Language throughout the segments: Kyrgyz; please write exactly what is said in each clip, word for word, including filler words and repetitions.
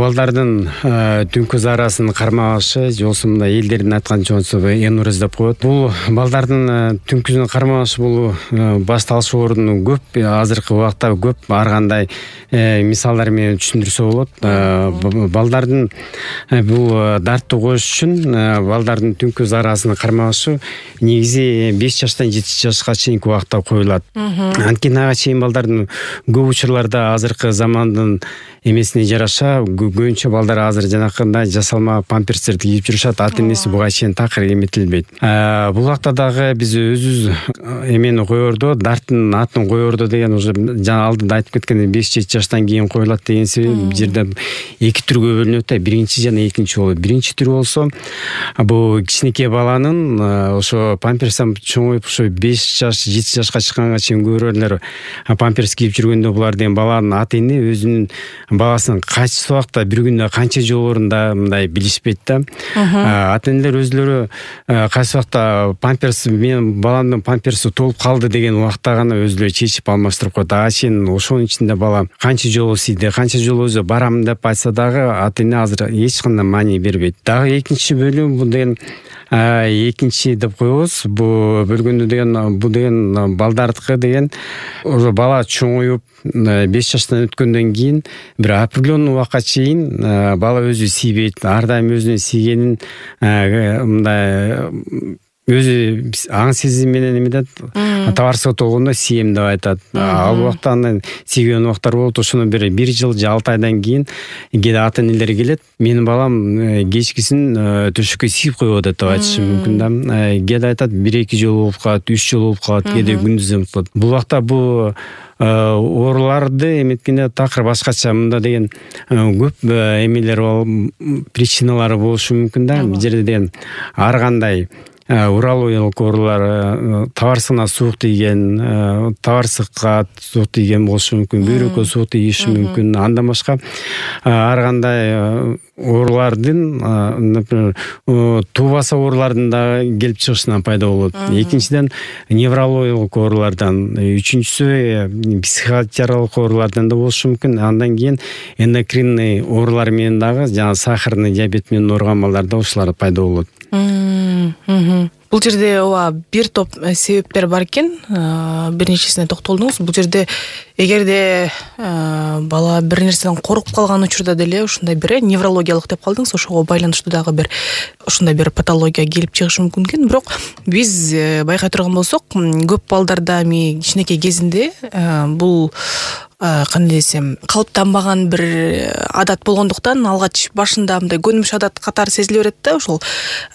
балдардын түнкү заарасын кармашы жолсу мындай элдердин айтканчасы энурез деп коет. Бул балдардын түнкүсүн кармашы бул башталыш ордуну көп, азыркы убакта көп ар кандай мисалдар менен түшүндүрсө болот. Балдардын бул дартты коюш үчүн балдардын түнкү заарасын кармашы негизи беш жаштан жети жашка чейинки убакта коюлат. Анткени ага чейин балдардын көп учурларда азыркы замандын эмесине жараша көбүнчө балдар азыр жанакындай жасалма памперстерди кийип жүрүшат. Ата энеси буга чейин такыр эметилбейт. Бул убакта дагы биз өзүбүз эмени коердо, дарттын атын коердо деген уже жана алдыда айтып кеткендей беш жети жаштан кийин коюлат деген себеби бул жерде эки түргө бөлүнөт да. Биринчи жана экинчи болот. Биринчи түрү болсо бул кичинекей баланын ошо памперстен чоңоюп ошо беш жаш жети жашка чыкканга чейин көрөрлөр памперс кийип жүргөндө булар деген баланын ата эне өзүнүн баласын кайсы убакта бир күндө канча жолун да мындай билишпейт да. Ата энелер өзлөрү кайсы убакта памперс менин баламдын памперси толуп калды деген убакта гана өзлөрү чечип алмаштырып коет. Ага чейин ошонун ичинде бала канча жолу сийди, канча жолу өзү барам деп айтса дагы ата эне азыр эч кандай маани бербейт. Дагы экинчи бөлүм бул деген экинчи деп коебуз. Бул бөлгөндө деген бул деген балдардыкы деген уже бала чоңоюп беш жаштан өткөндөн кийин бир определенный убакка чейин бала өзү сийбейт. Ар дайым өзүнүн сийгенин мындай өзү аң сезими менен эметет. Табарсызга толгондо сием деп айтат. Ал убакта андан сийген убактар болот. Ошону бир бир жыл же алты айдан кийин кээде ата энелер келет. Менин балам кечкисин төшөккө сийип коюп атат деп айтышы мүмкүн да. Кээде айтат бир эки жолу болуп калат, үч жолу болуп калат, кээде күндүз болот. Бул убакта бул ооруларды эметкенде такыр башкача мында деген көп эмелер причиналары болушу мүмкүн да. Бул жерде деген ар кандай урологиялык оорулар, табарсыгына суук тийген, табарсыкка суук тийген болушу мүмкүн, бөйрөккө суук тийиши мүмкүн. Андан башка ар кандай оорулардын, например, туубаса оорулардын да келип чыгышынан пайда болот. Экинчиден неврологиялык оорулардан, үчүнчүсү психиатриялык оорулардан да болушу мүмкүн. Андан кийин эндокринный оорулар менен дагы жана сахарный диабет менен ооруган балдарда ушулар пайда болот. Бул жерде ооба бир топ себептер бар экен. Бир нечесине токтолдуңуз. Бул жерде эгерде бала бир нерседен коркуп калган учурда деле ушундай бир неврологиялык деп калдыңыз, ошого байланыштуу дагы бир ушундай бир патология келип чыгышы мүмкүн экен. Бирок биз байкай турган болсок, көп балдарда эми кичинекей кезинде бул кандай десем, калыптанбаган бир адат болгондуктан алгач башында мындай көнүмүш адат катары сезиле берет да, ошол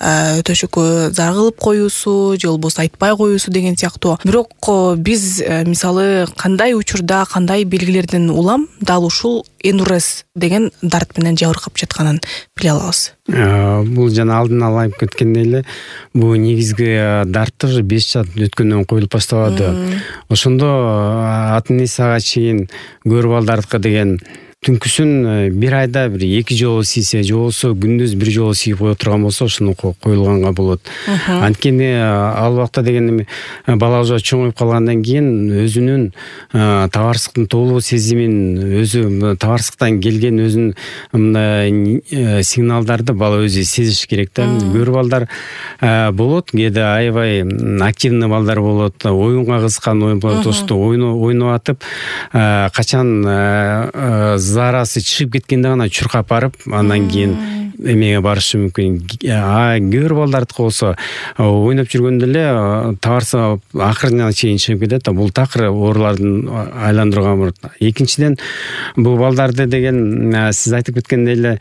төшөккө зар кылып коюусу же болбосо айтпай коюусу деген сыяктуу. Бирок биз мисалы кандай учурда, кандай белгилерден улам дал ушул энурез деген дарт менен жабыркап жатканын биле алабыз. Бул жана алдын ала айтып кеткендей эле, бул негизги дартты уже беш жаш өткөндөн коюлуп башталады. Ошондо ата энеси ага чейин көр балдардыкы деген түнкүсүн бир айда бир эки жолу сийсе же болбосо күндүз бир жолу сийип кое турган болсо ошону коюлганга болот. Анткени ал убакта деген бала уже чоңоюп калгандан кийин өзүнүн табарсыктын толуу сезимин, өзү табарсыктан келген өзүнүн мындай сигналдарды бала өзү сезиш керек да. Көр балдар болот, кээде аябай активный балдар болот, оюнга кызыккан ой болот, ошто ойноп атып качан заарасы чыгып кеткенде гана чуркап барып, андан кийин эмеге барышы мүмкүн. А көр балдардыкы болсо ойноп жүргөндө эле табарсы акырына чейин чыгып кетет. Бул такыр оорулардын айландырган болот. Экинчиден бул балдарды деген сиз айтып кеткендей эле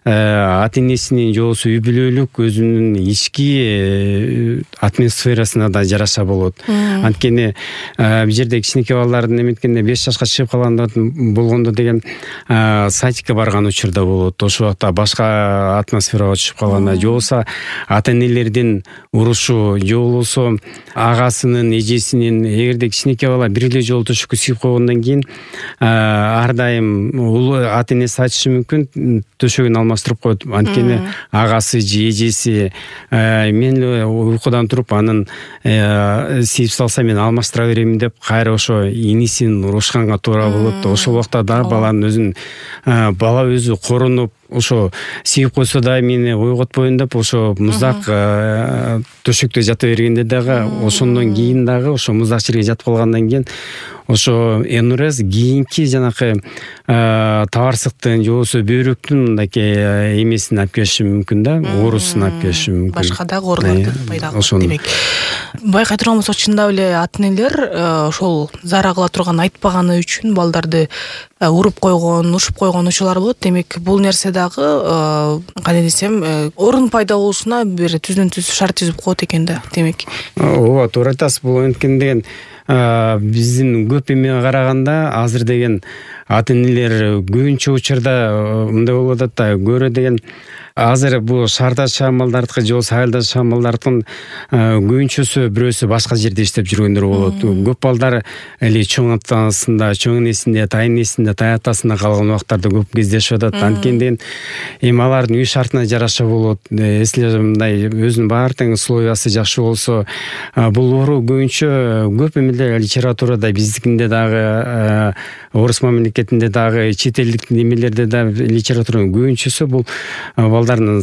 ата энесинин же болбосо үй бүлөлүк өзүнүн ички атмосферасына да жараша болот. Анткени бул жерде кичинекей балдардын эметкенде беш жашка чыгып калганда болгондо деген садикке барган учурда болот. Ошол убакта башка атмосферага түшүп калганда, же болбосо ата энелердин урушу, же болбосо агасынын, эжесинин, эгерде кичинекей бала бир эле жолу төшөккө сийип койгондон кийин ар дайым ата энеси айтышы мүмкүн төшөгүн алмаштырып коет. Анткени агасы же эжеси мен эле уйкудан туруп анын сийип салса мен алмаштыра беремин деп кайра ошо инисин урушканга туура болот. Ошол убакта да баланын өзүн бала өзү корунуп, ошо сийип койсо да мени ойготпоюн деп ошо муздак төшөктө жата бергенде дагы ошондон кийин дагы ошо муздак жерге жатып калгандан кийин ошо энурез кийинки жанакы табарсыктын же болбосо бөйрөктүн мындайкы эмесин алып келиши мүмкүн да, оорусун алып келиши мүмкүн. Башка дагы ооруларды пайда кылат демек. Байкай турган болсок, чындап эле ата энелер ошол зара кыла турган айтпаганы үчүн балдарды уруп койгон, ушуп койгон учурлар болот. Демек, бул нерсе дагы кандай десем, орун пайда болушуна бир түздөн түз шарт түзүп коет экен да, демек. Ооба, туура айтасыз. Бул анткени деген биздин көп эмеге караганда азыр деген ата энелер көбүнчө учурда мындай болуп атат да, көрө деген азыр бул шаарда жашаган балдардыкы же болбосо айылда жашаган балдардын көбүнчөсү бирөөсү башка жерде иштеп жүргөндөр болот. Көп балдар эли чоң атасында, чоң энесинде, тайын энесинде, тай атасында калган убактарда көп кездешип атат. Анткени деген эми алардын үй шартына жараша болот. Если мындай өзүнүн баары тең условиясы жакшы болсо, бул оору көбүнчө көп эмелде литературада биздикинде дагы, орус мамлекетинде дагы, чет элдик немелерде да литературанын көбүнчөсү бул балдардын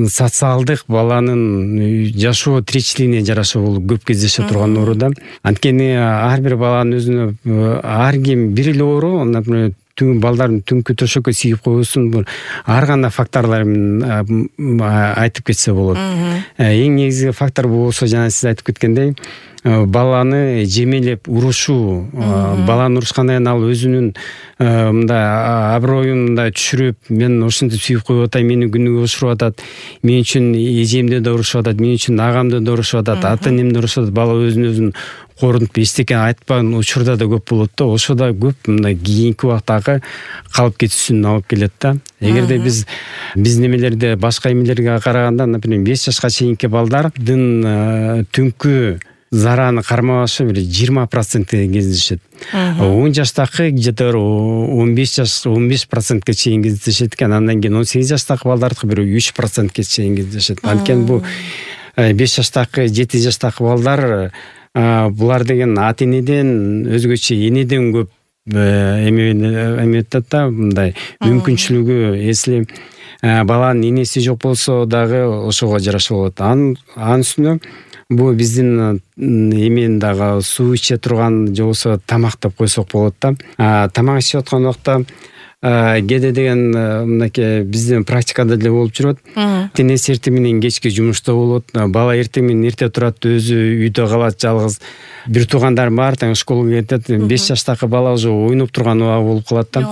социалдык, баланын жашоо тиричилигине жараша болуп көп кездеше турган оору да. Анткени ар бир баланын өзүнө ар ким бир эле оору, например, балдардын түнкү төшөккө сийип коюусун ар кандай факторлор менен айтып кетсе болот. Эң негизги фактор болсо, жана сиз айтып кеткендей, баланы жемелеп урушуу, баланы урушкандан кийин ал өзүнүн мындай аброюн мындай түшүрүп, мен ушинтип сүйүп коюп атам, мени күнүгө ушуруп атат, мен үчүн эжемди да урушуп атат, мен үчүн агамды да урушуп атат, ата энемди урушуп атат, бала өзүн өзүн корунуп эчтеке айтпаган учурда да көп болот да. Ошо да көп мындай кийинки убактагы калып кетүүсүн алып келет да. Эгерде биз биз немелерде башка эмелерге караганда, например, беш жашка чейинки балдардын түнкү зараны кармашы бир жыйырма процентке кездешет. он жаштагы где-то он беш жаш он беш процентке чейин кездешет экен. Андан кийин он сегиз жаштагы балдардыкы бир үч процентке чейин кездешет. Анткени бул беш жаштагы, жети жаштагы балдар булар деген ата энеден өзгөчө энеден көп эме өтөт да, мындай мүмкүнчүлүгү. Если баланын энеси жок болсо дагы ошого жараша болот. Анын үстүнө бул биздин эмени дагы суу иче турган же болбосо тамак деп койсок болот да. Тамак ичип аткан убакта кээде деген мынакей биздин практикада деле болуп жүрөт. Энеси эртең менен кечке жумушта болот, бала эртең менен эрте турат, өзү үйдө калат жалгыз. Бир туугандар бар, тең школага кетет, беш жаштагы бала уже ойноп турган убагы болуп калат да.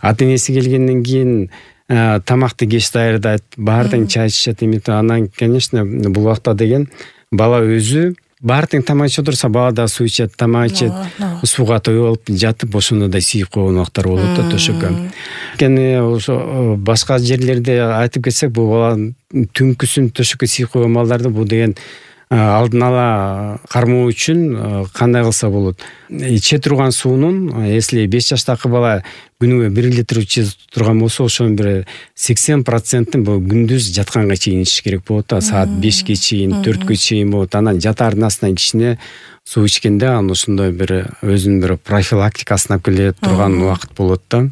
Ата энеси келгенден кийин тамакты кеч даярдайт, баары тең чай ичишет, эметип анан, конечно, бул убакта деген бала өзү баары тең тамак ичип отурса, бала да суу ичет, тамак ичет, сууга тоюп алып жатып, ошондо да сийип койгон убактар болот да төшөккө. Анткени ошо башка жерлерде айтып кетсек, бул бала түнкүсүн төшөккө сийип койгон балдарды бул деген алдын ала кармоо үчүн кандай кылса болот? Иче турган суунун, если беш жаштагы бала күнүгө бир литр иче турган болсо, ошонун бир сексен процентин бул күндүз жатканга чейин ичиш керек болот да. Саат бешке чейин, төрткө чейин болот. Анан жатаардын астынан кичине суу ичкенде анан ошондой бир өзүнүн бир профилактикасын алып келе турган убакыт болот да.